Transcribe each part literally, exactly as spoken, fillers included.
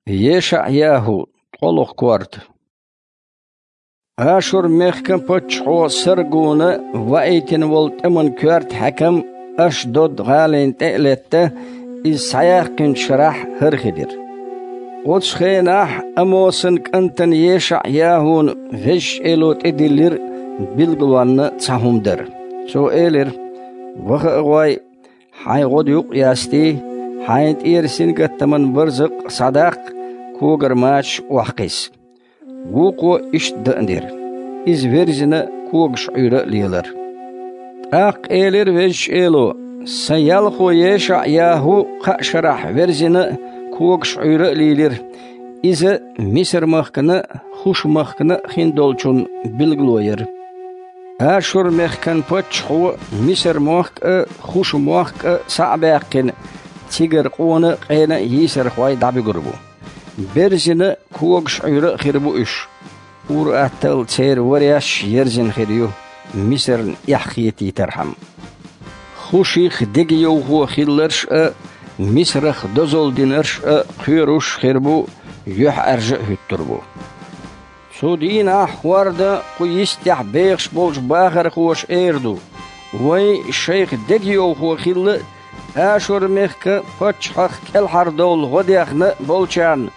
ЕшаӀ-ЯхӀу, ткъолгӀа корта. Ашур-мехкан паччахьо Саргуна ваийтина волу тӀеман коьрта хьаькам Ашдод-гӀалина тӀе а летта, иза схьаяьккхинчу шарахь хӀара хи дира. Оцу хенахь Амосан кӀантана ЕшаӀ-ЯхӀуна Везачу Эло тӀедиллира билгалонна цхьа хӀума дар. Цо элира: «Ваха а гӀой, хьайн гӀодаюкъ а ястий, хьайна тӀера сингаттаман барзакъ схьадаккха, когара мачаш охьакхисса». Вукхо иштта дан а дира. Иза верзина, когаш Ӏуьйра а лелара. ТӀаккха элира Везачу Эло: «Сан ялхо ЕшаӀ-ЯхӀу кхаа шарахь верзина а, когаш Ӏуьйра а лийлира. Иза Мисар-махкана а, Хуш-махкана а хиндолчунна билгало яра». Ашур-мехкан паччахьо Мисар-мохк а, Хуш-мохк а схьа а баьккхина, цигара къона а, къена а йийсархой дӀабуьгур бу. Берзина а, когаш Ӏуьйра а хир бу уьш. Ур-атталла церан вареш а ерзина хир ю, Мисарна эхь хетийтархьама. Хуших дегайовхо хилларш а, Мисарах дозалла динарш а кхоьруш а хир бу, юьхьӀаьржа а хӀуьттур бу. Цу дийнахь хӀордан кху йистехь бехаш болчу бахархоша эр ду: «Вайн шайх дегайовхо хилла а, Ашур-мехкан паччахьах кӀелхьардовла гӀо дехна а болчарна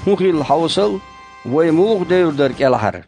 хӀун хилла хьовсал, вай муха девр дара кӀелхьара?»